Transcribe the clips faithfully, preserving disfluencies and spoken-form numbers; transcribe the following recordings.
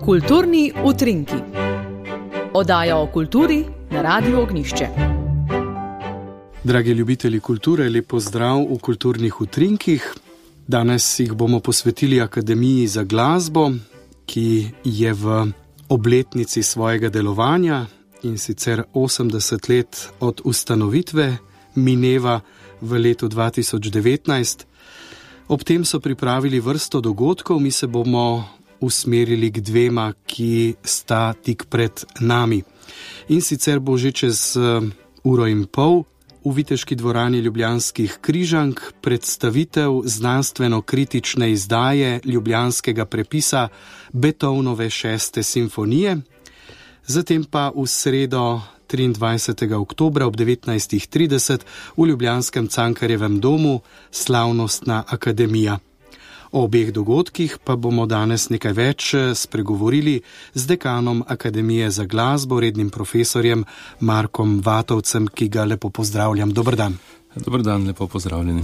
Kulturni utrinki. Oddaja o kulturi na Radiu Ognjišče. Dragi ljubitelji kulture, lep pozdrav v Kulturnih utrinkih. Danes jih bomo posvetili Akademiji za glasbo, ki je v obletnici svojega delovanja, in sicer osemdeset let od ustanovitve, mineva v letu dva tisoč devetnajst. Ob tem so pripravili vrsto dogodkov, mi se bomo usmerili k dvema, ki sta tik pred nami. In sicer bo že čez uro in pol v Viteški dvorani Ljubljanskih Križank predstavitev znanstveno-kritične izdaje ljubljanskega prepisa Beethovenove šeste simfonije. Zatem pa v sredo triindvajsetega oktobra ob devetnajstih trideset v ljubljanskem Cankarjevem domu slavnostna akademija. O obeh dogodkih pa bomo danes nekaj več spregovorili z dekanom Akademije za glasbo, rednim profesorjem Markom Vatovcem, ki ga lepo pozdravljam. Dober dan. Dober dan, lepo pozdravljeni.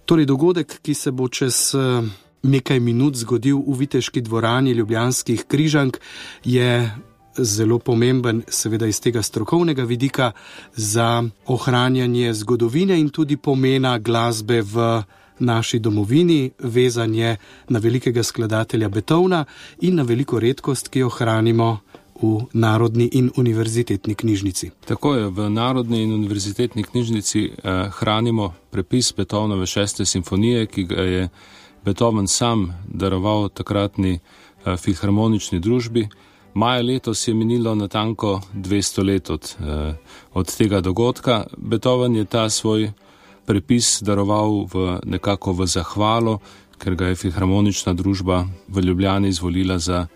Torej, dogodek, ki se bo čez nekaj minut zgodil v Viteški dvorani Ljubljanskih Križank, je zelo pomemben, seveda iz tega strokovnega vidika, za ohranjanje zgodovine in tudi pomena glasbe v naši domovini, vezanje na velikega skladatelja Beethovna in na veliko redkost, ki jo hranimo v Narodni in univerzitetni knjižnici. Tako je, v Narodni in univerzitetni knjižnici eh, hranimo prepis Beethovenove šeste simfonije, ki ga je Beethoven sam daroval takratni eh, filharmonični družbi. Maja letos je minilo natanko dvesto let od, eh, od tega dogodka. Beethoven je ta svoj prepis daroval v nekako v zahvalo, ker ga je filharmonična družba v Ljubljani izvolila za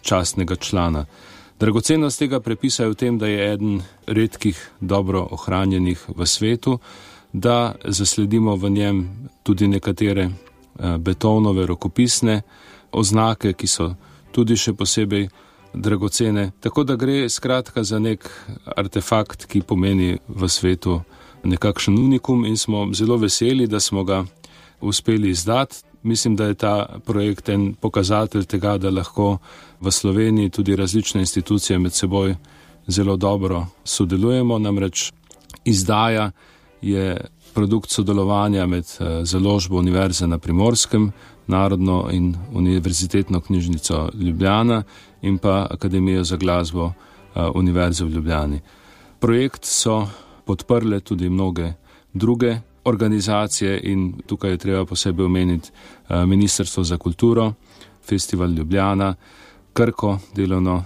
častnega člana. Dragocenost tega prepisa je v tem, da je eden redkih dobro ohranjenih v svetu, da zasledimo v njem tudi nekatere Beethovenove rokopisne oznake, ki so tudi še posebej dragocene. Tako da gre skratka za nek artefakt, ki pomeni v svetu nekakšen unikum, in smo zelo veseli, da smo ga uspeli izdati. Mislim, da je ta projekt en pokazatelj tega, da lahko v Sloveniji tudi različne institucije med seboj zelo dobro sodelujemo. Namreč izdaja je produkt sodelovanja med založbo Univerze na Primorskem, Narodno in univerzitetno knjižnico Ljubljana in pa Akademijo za glasbo Univerze v Ljubljani. Projekt so podprle tudi mnoge druge organizacije in tukaj je treba posebej omeniti Ministrstvo za kulturo, Festival Ljubljana, Krko, delovno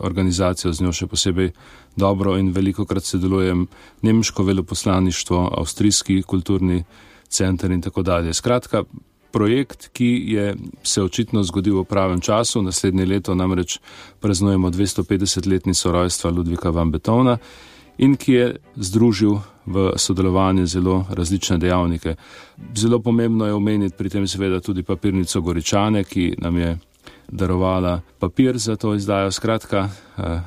organizacijo, z njo še posebej dobro in velikokrat sodelujem, nemško veleposlaništvo, avstrijski kulturni center in tako dalje. Skratka, projekt, ki je se očitno zgodil v pravem času, naslednje leto namreč praznujemo dvestopetdesetletnico rojstva Ludvika van Beethovna, in ki je združil v sodelovanju zelo različne dejavnike. Zelo pomembno je omeniti pri tem seveda tudi papirnico Goričane, ki nam je darovala papir za to izdajo. Skratka,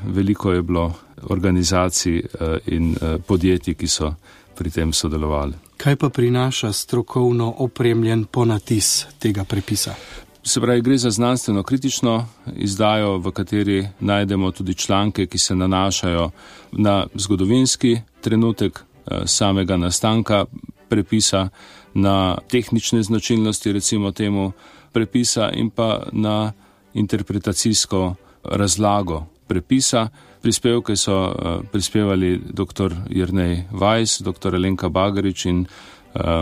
veliko je bilo organizacij in podjetij, ki so pri tem sodelovali. Kaj pa prinaša strokovno opremljen ponatis tega prepisa? Se pravi, gre za znanstveno-kritično izdajo, v kateri najdemo tudi članke, ki se nanašajo na zgodovinski trenutek samega nastanka prepisa, na tehnične značilnosti, recimo temu, prepisa in pa na interpretacijsko razlago prepisa. Prispevke so prispevali dr. Jernej Vajs, dr. Alenka Bagarič in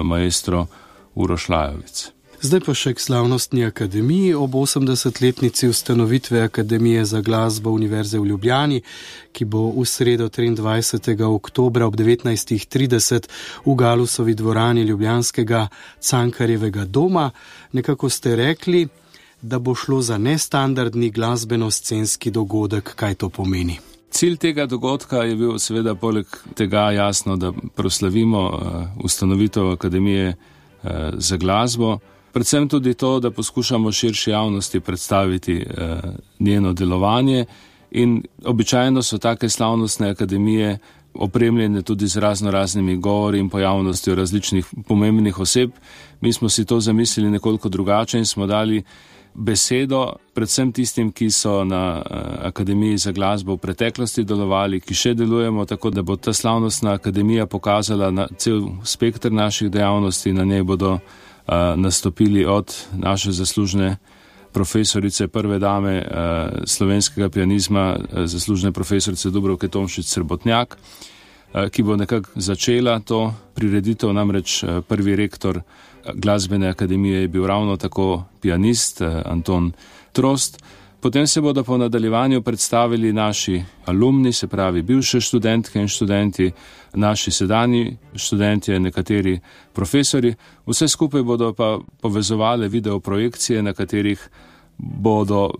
maestro Uroš Lajovic. Zdaj pa še k slavnostni akademiji ob osemdesetletnici ustanovitve Akademije za glasbo Univerze v Ljubljani, ki bo v sredo triindvajsetega oktobra ob devetnajstih trideset v Galusovi dvorani Ljubljanskega Cankarjevega doma. Nekako ste rekli, da bo šlo za nestandardni glasbeno-scenski dogodek. Kaj to pomeni? Cilj tega dogodka je bil seveda poleg tega jasno, da proslavimo ustanovitev Akademije za glasbo, predvsem tudi to, da poskušamo širši javnosti predstaviti njeno delovanje, in običajno so take slavnostne akademije opremljene tudi z razno raznimi govori in pojavnostjo različnih pomembnih oseb. Mi smo si to zamislili nekoliko drugače in smo dali besedo predvsem tistim, ki so na Akademiji za glasbo v preteklosti delovali, ki še delujemo, tako da bo ta slavnostna akademija pokazala na cel spektr naših dejavnosti. Na njej bodo uh, nastopili od naše zaslužne profesorice, prve dame uh, slovenskega pianizma, uh, zaslužne profesorice Dubravke Tomšič-Srebotnjak, uh, ki bo nekako začela to prireditev, namreč uh, prvi rektor Glasbene akademije je bil ravno tako pianist Anton Trost. Potem se bodo po nadaljevanju predstavili naši alumni, se pravi bivše študentke in študenti, naši sedanji študentje, nekateri profesori. Vse skupaj bodo pa povezovali videoprojekcije, na katerih bodo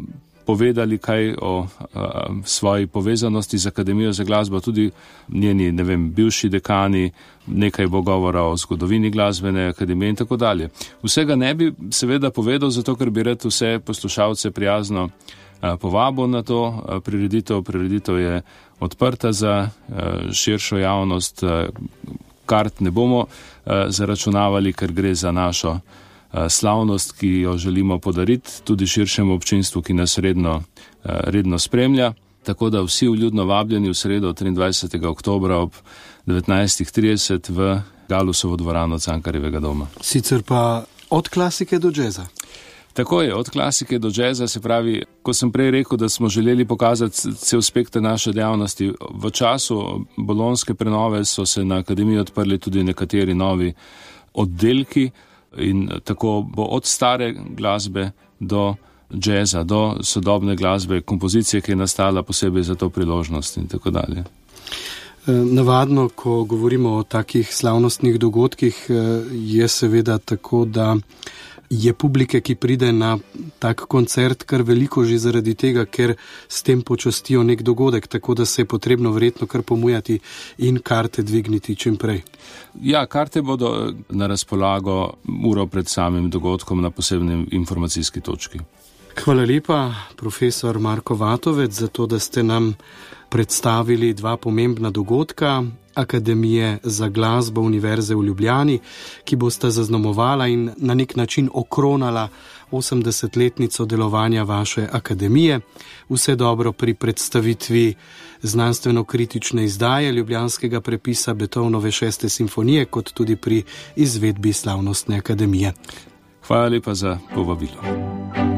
povedali kaj o a, svoji povezanosti z Akademijo za glasbo, tudi njeni, ne vem, bivši dekani, nekaj bo govora o zgodovini Glasbene akademije in tako dalje. Vsega ne bi seveda povedal, zato ker bi rad vse poslušalce prijazno a, povabil na to a, prireditev. Prireditev je odprta za a, širšo javnost, a, kart ne bomo a, zaračunavali, ker gre za našo slavnost, ki jo želimo podariti tudi širšemu občinstvu, ki nas redno, redno spremlja. Tako da vsi vljudno vabljeni v sredo triindvajsetega oktobra ob devetnajstih trideset v Galusovo dvorano Cankarjevega doma. Sicer pa od klasike do džeza. Tako je, od klasike do džeza, se pravi, ko sem prej rekel, da smo želeli pokazati cel spektr naše dejavnosti. V času bolonjske prenove so se na akademiji odprli tudi nekateri novi oddelki, in tako bo od stare glasbe do džeza, do sodobne glasbe, kompozicije, ki je nastala posebej za to priložnost in tako dalje. Navadno, ko govorimo o takih slavnostnih dogodkih, je seveda tako, da je publike, ki pride na tak koncert, kar veliko že zaradi tega, ker s tem počastijo nek dogodek, tako da se je potrebno verjetno kar pomujati in karte dvigniti čim prej. Ja, karte bodo na razpolago uro pred samim dogodkom na posebni informacijski točki. Hvala lepa, profesor Marko Vatovec, za to, da ste nam predstavili dva pomembna dogodka Akademije za glasbo Univerze v Ljubljani, ki bosta zaznamovala in na nek način okronala osemdesetletnico delovanja vaše akademije. Vse dobro pri predstavitvi znanstveno-kritične izdaje ljubljanskega prepisa Beethovenove šeste simfonije, kot tudi pri izvedbi slavnostne akademije. Hvala lepa za povabilo.